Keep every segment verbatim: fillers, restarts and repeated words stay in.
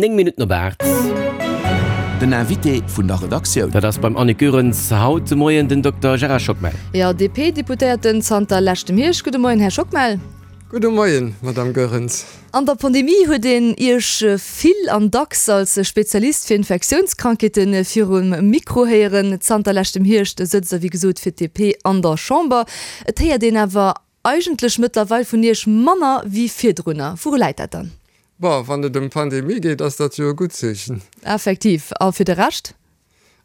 néng Minutten op aacht. Den Invité vun der Redaktioun. Dat ass beim Annick Goerens haut de Moien den Dokter Gérard Schockmel. Jo, D P-Deputéierten zanter leschtem Hierscht. Gudde Moien, Här Schockmel. Gudde Moien, Madame Goerens. An der Pandemie huet een Iech vill an dacks als Spezialist fir Infektiounskrankheete virum Mikro héieren. Zanter leschtem Hierscht sëtzt Der, wéi gesot, fir d'D P an der Chamber. Et héiert een awer eigentlech mëttlerweil vun Iech manner wéi virdrunner. Wouru läit dat dann? Bon, wann et ëm d'Pandemie geet, ass dat jo e gutt Zeechen. Effektiv. A fir de Rescht?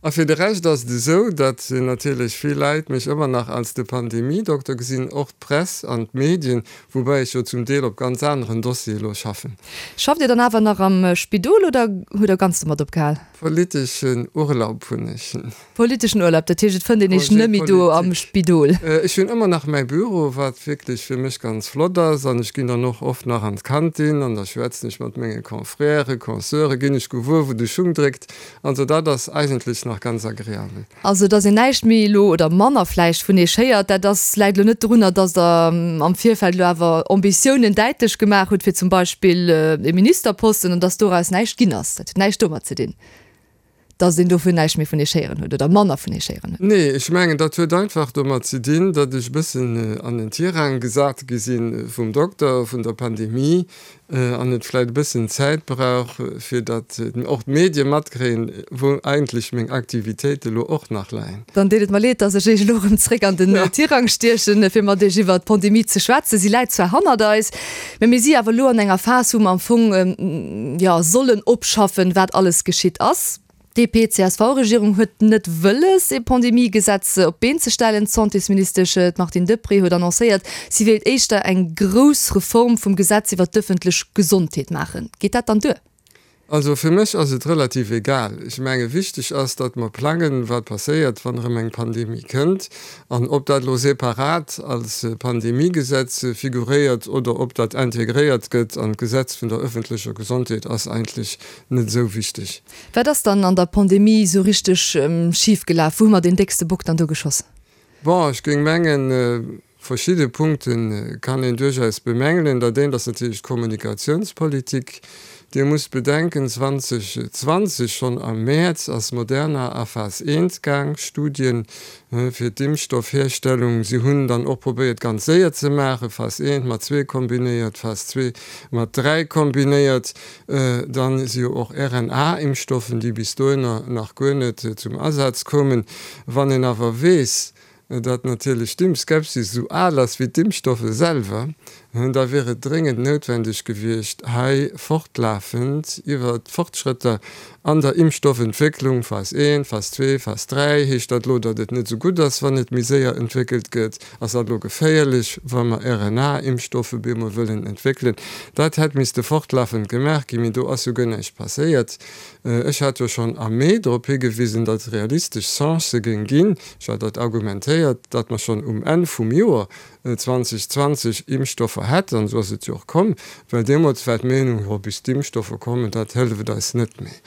A fir de Rescht ass et esou, datt natierlech vill Leit mech ëmmer nach als de Pandemie-Dokter gesinn, och d'Press an d'Medien, woubäi ech jo zum Deel op ganz aneren Dossiere elo schaffen. Schafft Dir dann awer nach am Spidol oder hutt Der ganz domat opgehal? Politeschen Urlaub hunn ech. Politeschen Urlaub, dat heescht et fënnt een Iech Congé net méi do am politique. Spidol? Ech hunn ëmmer nach mäi Büro, wat wierklech fir mech ganz flott ass, an ech ginn dann och oft nach an d'Kantin an da schwätzen ech mat menge Confrèren, Consoeuren, ginn ech gewuer, wou de Schung dréckt. Also dat ass eigentlech nach ganz agreabel. Also datt een näischt méi elo oder manner vläicht vun Iech héiert, dat ass, läit elo net dorunner, datt Der am Virfeld elo awer Ambitiounen däitlech gemaach hutt fir zum Beispill e Ministerposten an datt doraus näischt ginn ass. Dat huet näischt domat ze dinn, datt een dofir näischt méi vun Iech héieren huet oder manner vun Iech héieren huet. Nee, ech mengen, dat huet einfach domat ze dinn, datt ech e bëssen an den Tirang gesat gi si vum Dokter, vun der Pandemie, an et vläicht e bëssen Zäit brauch, fir datt och d'Medie matkréien, wou eigentlech meng Aktivitéite lo och nach leien. Dann deet et mer leed, datt ech Iech elo erëm zréck an den Tirang stiechen, fir mat Iech iwwert d'Pandemie ze schwätzen. Si läit zwar hannert eis, mä mir si awer elo an enger Phas, wou mer am Fong, jo, sollen opschaffen, wat alles geschitt ass. D'D P C S V-Regierung huet net wëlles, ee Pandemie-Gesetz op d'Been ze stellen. D'Santésministesch, d'Martine Deprez, huet annoncéiert, si wéilt éischter eng grouss Reform vum Gesetz iwwer d'ëffentlech Gesondheet maachen. Geet dat dann duer? Also fir mech ass et relativ egal. Ech menge wichteg ass, datt mer plangen, wat passéiert, wann erëm eng Pandemie kënnt. An ob dat elo separat als Pandemiegesetz figuréiert oder ob dat integréiert gëtt an d'Gesetz vun der ëffentlecher Gesondheet, ass eigentlech net esou wichteg. Wat ass dann an der Pandemie esou richteg schif gelaf? Wou hu mer deen déckste Bock dann do geschoss? Bon, ech géing mengen, verschidde Punkte kann een duerchaus bemängelen. Dat eent ass natierlech d'Kommunikatiounspolitik. Dir musst bedenken, zweedausendzwanzeg, schonn am Mäerz, ass Moderna a Phas eent gaang, Studien fir d'Impfstoffherstellung. Si hunn dann och probéiert, ganz séier ze maachen, Phas eent mat zwee kombinéiert, Phas zwee mat dräi kombinéiert. Dann si jo och R N A-Impfstoffen, déi bis dohinner nach guer net zum Asaz koumen. Wann een awer weess, datt natierlech d'Impfskepsis esou al ass wéi d'Impfstoffe selwer, da wier et dréngend noutwendeg gewiescht, hei fortlafend iwwer d'Fortschrëtter an der Impfstoffentwécklung, Phas eent, Phas zwee, Phas dräi, heescht dat elo, datt et net esou gutt ass, wann et méi séier entwéckelt gëtt? Ass dat elo geféierlech, wa mer R N A-Impfstoffe bemol wëllen entwéckelen? Dat hätt misste fortlafend gemaach ginn, mee do ass jo guer näischt passéiert. Ech hat jo schonn am Mee drop higewisen, datt et realistesch Chancë géing ginn, ech hat dat argumentéiert, datt mer schonn um Enn vum Joer zweedausendzwanzeg Impfstoffer hätten, an esou ass et jo och komm, well deemools war d'Meenung, jo, bis d'Impfstoffer kommen, dat hëlleft eis net méi.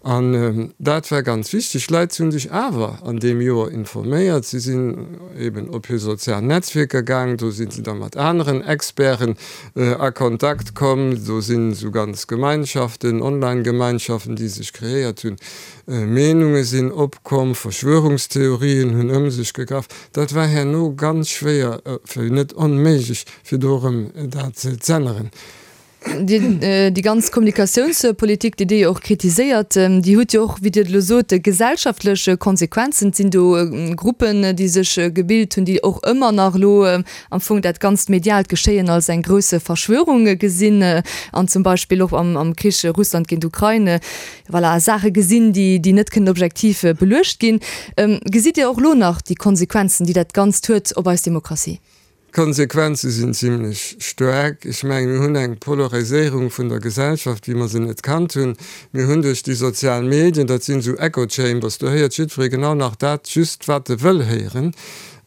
An dat war ganz wichteg. D'Leit hu sech awer an deem Joer informéiert. Si sinn eben op hir sozial Netzwierker gaang, do si se da mat aneren Experten a Kontakt komm, do sinn esou ganz Gemeinschaften, Online-Gemeinschaften, déi sech kreéiert hunn. Meenunge sinn opkomm, Verschwörungstheorien hunn ëm sech gegraff. Dat war herno ganz schwéier, fir net onméiglech, fir do erëm dat z'änneren. Déi ganz Kommunikatiounspolitik, déi Dir jo och kritiséiert, déi huet jo och, wéi Dir et elo sot, gesellschaftlech Konsequenzen. Et sinn do Gruppen, déi sech gebilt hunn, déi och ëmmer nach elo am Fong dat ganzt mediaalt Geschéien als eng grouss Verschwörung gesinn an zum Beispill och am Krich Russland géint Ukrain, voilà, Saache gesinn, déi net kënnen objektiv beluecht ginn. Gesitt Dir och elo nach déi Konsequenzen, déi dat Ganzt huet op eis Demokratie? D'Konsequenze sinn zimlech staark. Ech mengen, mir hunn eng Polariséierung vun der Gesellschaft, wéi mer se net kannt hunn. Mir hunn duerch déi sozial Medien, dat sinn esou Echo Chambers, do héiert jiddweree genau nach dat just, wat e wëll héieren.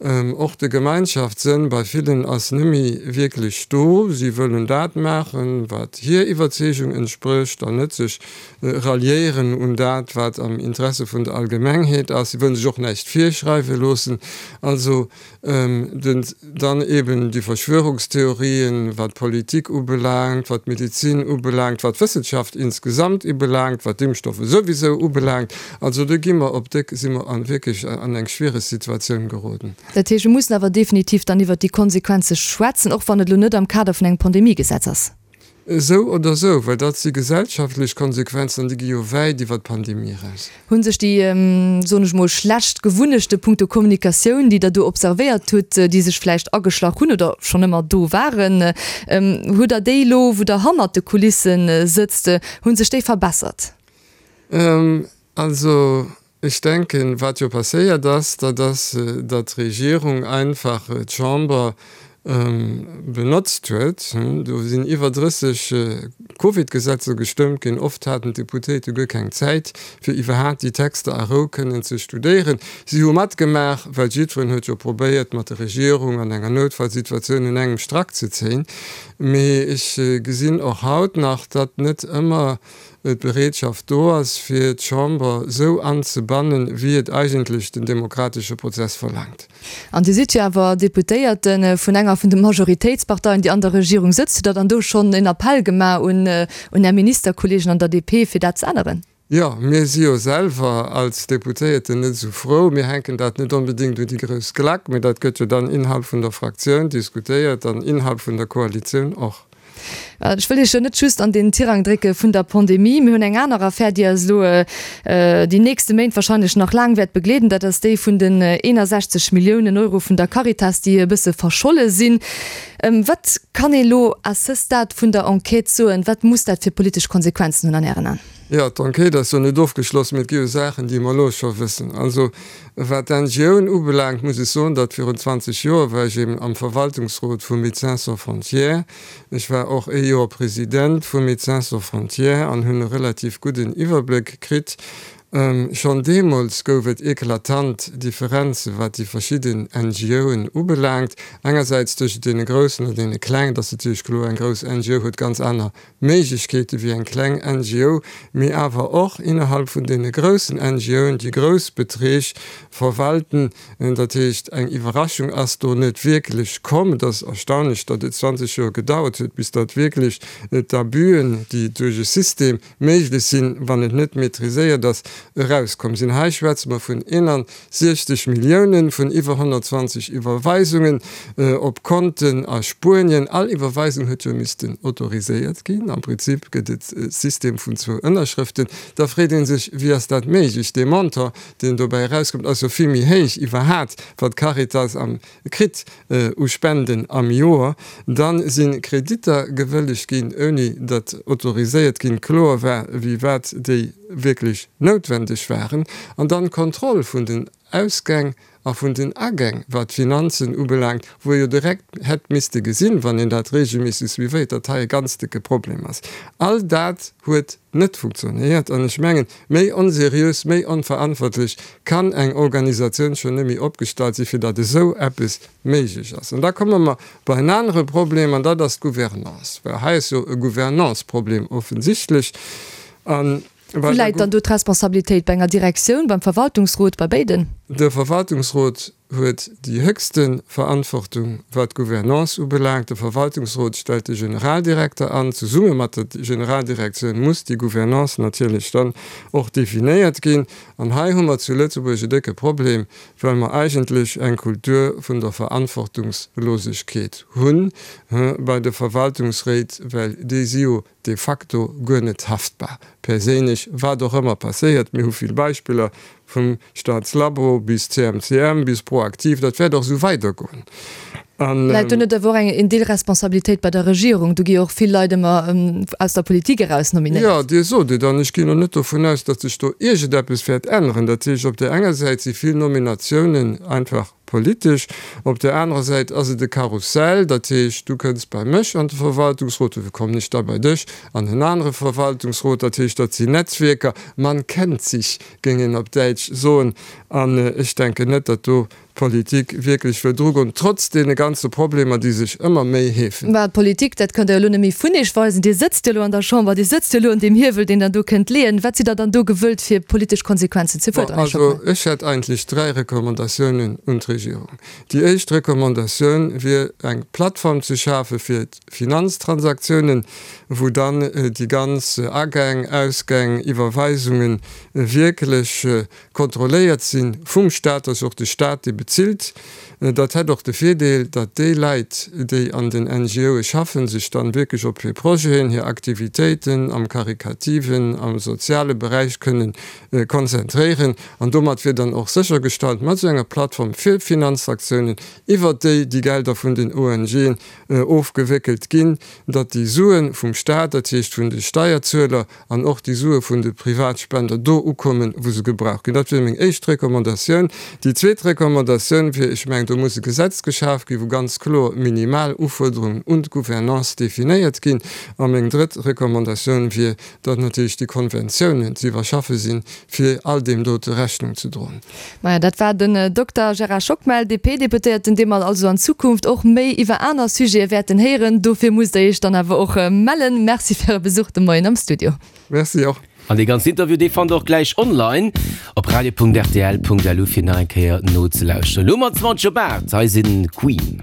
Och de Gemeinschaftssënn bei villen ass nëmme wierklech do. Si wëllen dat maachen, wat hir Iwwerzeegung entsprécht, an net sech ralliéieren un dat, wat am Interesse vun der Allgemengheet ass. Si wëllen sech och näischt virschreiwe loossen. Also den, dann eben déi Verschwörungstheorien, wat d'Politik ubelaangt, wat d'Medizin ubelaangt, wat d'Wëssenschaft insgesamt ubelaangt, wat d'Impfstoffe souwisou ubelaangt. Also do gi mer op déck, si mer an wierklech an eng schwiereg Situatioun geroden. Dat heescht, mir mussen awer definitiv dann iwwert déi Konsequenze schwätzen, och wann et elo net am Kader vun engem Pandemiegesetz ass. Esou oder esou, well dat si gesellschaftlech Konsequenzen an déi gi jo wäit iwwer d'Pandemie eraus. Hu sech déi, soen ech mol, schlecht Gewunnechte punkto Kommunikatioun, déi Der do observéiert hutt, déi sech vläicht ageschlach hunn oder schonn ëmmer do waren, hutt Der déi elo, wou Der hannert de Kulisse sëtzt, hu sech déi verbessert? Also, ech denken, wat jo passéiert ass, dat ass, datt d'Regierung einfach d'Chamber benotzt huet. Do sinn iwwer drësseg Covid-Gesetzer gestëmmt ginn. Oft haten d'Deputéite guer keng Zäit, fir iwwerhaapt déi Texter a Rou kënnen ze studéieren. Si hu matgemaach, well jiddwereen huet jo probéiert, mat der Regierung an enger Noutfallsituatioun un engem Strack ze zéien. Mee ech gesinn och haut nach, datt net ëmmer d'Bereetschaft do ass, fir d'Chamber esou anzebannen, wéi et eigentlech den demokratesche Prozess verlaangt. An Dir sidd jo awer Deputéierte vun enger vun de Majoritéitsparteien, déi an der Regierung sëtzt. Hutt Der dann do schonn en Appell gemaach un un Är Ministerkolleegen an der D P, fir dat ze änneren? Jo, mir si jo selwer als Deputéierten net esou frou. Mir hänken dat net onbedéngt un déi grouss Glack, mee dat gëtt jo dann innerhalb vun der Fraktioun diskutéiert an innerhalb vun der Koalitioun och. Ech wëll Iech jo net just an deen Tirang drécke vun der Pandemie. Mir hunn eng aner Affär, déi eis elo déi nächste Méint wahrscheinlech nach laang wäert begleeden. Dat ass déi vun den eenasechzeg Milliounen Euro vun der Caritas, déi e bësse verscholle sinn. Wat kann ee elo à ce stade vun der Enquête soen? Wat muss dat fir politesch Konsequenzen hunn an Ären Aen? Jo, d'Enquête ass jo net ofgeschloss, mee et gi jo Saachen, déi mer elo scho wëssen. Also, wat d'N G Oen ubelaangt, muss ech soen, datt virun zwanzeg Joer war ech eben am Verwaltungsrot vu Médecins Sans Frontières. Ech war och ee Joer President vu Médecins Sans Frontières an hunn e relativ gudden Iwwerbléck kritt. Schonn deemools gouf et eklatant Differenze wat déi verschidden N G Oen ubelaangt. Engersäits tëschent deene groussen an deene klengen. Et ass natierlech kloer, eng grouss N G O huet ganz aner Méiglechkeete wéi eng kleng N G O, mee awer och innerhalb vun deene groussen N G Oen, déi grouss Beträg verwalten. Dat heescht, eng Iwwerraschung ass do net wierklech komm. Et ass erstaunlech, datt et zwanzeg Joer gedauert huet, bis datt wierklech d'Abüen, déi duerch e System méiglech sinn, wann et net maîtriséiert ass, erauskomm sinn. Hei schwätze mer vun eenansiechzeg Milliounen, vun iwwer honnertzwanzeg Iwwerweisungen op Konten a Spuenien. All Iwwerweisung huet jo missten autoriséiert ginn. Am Prinzip gëtt et e System vun zwou Ënnerschrëften. Da freet ee sech, Wéi ass dat méiglech? Dee Montant, deen dobäi erauskëmmt, ass jo vill méi héich iwwerhat, wat d'Caritas am kritt u Spenden am Joer. Da si Kreditter gewëllegt ginn, ouni datt autoriséiert ginn, kloer war, wéi wat déi wierklech noutwendeg waren. An dann d'Kontroll vun den Ausgäng a vun den Agäng, wat d'Finanzen ubelaangt, wou ee jo direkt hätt misste gesinn, wann een dat regelméisseg suivéiert, datt hei e ganz décke Problem ass. All dat huet net funktionéiert. An ech mengen, méi onseriös, méi onverantwortlech kann eng Organisatioun schonn net méi opgestallt sinn, fir datt esou eppes méiglech ass. An da komme mer bei en anere Problem, an dat ass d'Gouvernance. Well hei ass jo e Gouvernance-Problem offensichtlech. An Wou läit dann do d'Responsabilitéit? Bei enger Direktioun, beim Verwaltungsrot, bei béiden? De Verwaltungsrot huet déi héchste Verantwortung, wat d'Gouvernance ubelaangt. De Verwaltungsrot stellt de Generaldirekter an. Zesumme mat der Generaldirektioun muss déi Gouvernance natierlech dann och definéiert ginn. An hei hu mer zu Lëtzebuerg e décke Problem, well mer eigentlech eng Kultur vun der Verantwortungslosegkeet hu bei de Verwaltungsréit, well déi si jo de facto guer net haftbar, perséinlech, wat och ëmmer passéiert. Mir hu vill Beispiller, vum Staatslabo bis C M C M bis ProActif, dat wäert och esou weidergoen. An Läit do net awer och eng en Deel Responsabilitéit bei der Regierung? Do gi jo och vill Leit ëmmer aus der Politik eraus nominéiert. Jo, Dir sot et, an ech ginn och net dovun aus, datt sech do iergendeppes wäert änneren. Dat heescht, op där enger Säit si vill Nominatiounen einfach politesch, op där anerer Säit ass et e Karussell, dat heescht, du kënns bei mech an de Verwaltungsrot, dofir kommen ech da bei dech an en anere Verwaltungsrot. Dat heescht, dat sinn Netzwierker, man kennt sich, géing een op Däitsch soen. An ech denken net, datt do d'Politik wierklech wëll drugoen, trotz deene ganze Problemer, déi sech ëmmer méi heefen. Mä d'Politik, dat kënnt Der jo elo net méi vun Iech weisen. Dir sëtzt jo elo an der Chamber, Dir sëtzt jo elo un deem Hiewel, deen Der do kënnt leeën. Wat sidd Der dann do gewëllt, fir politesch Konsequenzen ze Bon, fuerderen, Här also Schockmel? ech hätt eigentlech dräi Recommandatiounen un d'Regierung. Déi éischt Recommandatioun wier, eng Plattform ze schafe fir d'Finanztransaktiounen, wou dann déi ganz Agäng, Ausgäng, Iwwerweisungen wierklech kontrolléiert si vum Stat, dass och de Stat déi bezilt. Dat hätt och de Virdeel, datt déi Leit, déi an den NGOe schaffen, sech dann wierklech op hir Projeten, hir Aktivitéiten am karikativen, am soziale Beräich kënnen konzentréieren. An domat wier dann och séchergestallt, mat esou enger Plattform fir Finanzaktiounen, iwwert déi déi Gelder vun den ONGen ofgewéckelt ginn, datt déi Sue vum Stat, dat heescht vun de Steierzueler, an och déi Sue vun de Privatspender do ukommen, wou se gebraucht ginn. Dat wier meng éischt Recommandatioun. Déi zweet Recommandatioun wier, ech mengen, do muss e Gesetz geschaf ginn, wou ganz kloer minimal Ufuerderungen un d'Gouvernance definéiert ginn. A meng drëtt Recommandatioun wier, datt natierlech déi Konventiounen ze iwwerschaffe sinn, fir all deem dote Rechnung ze droen. Maja, dat war den Dokter Gérard Schockmel, D P-Deputéierten, dee mer also an Zukunft och méi iwwer aner Sujete wäerten héieren. Dofir musst Der Iech dann awer och mellen. Merci fir Äre Besuch de Moien am Studio. Merci och. An dee ganzen Interview, dee fannt der och gläich online op radio Punkt R T L Punkt L U fir nach eng Kéier nozelauschteren. Elo mat zwanzeg op aacht, hei sinn Queen.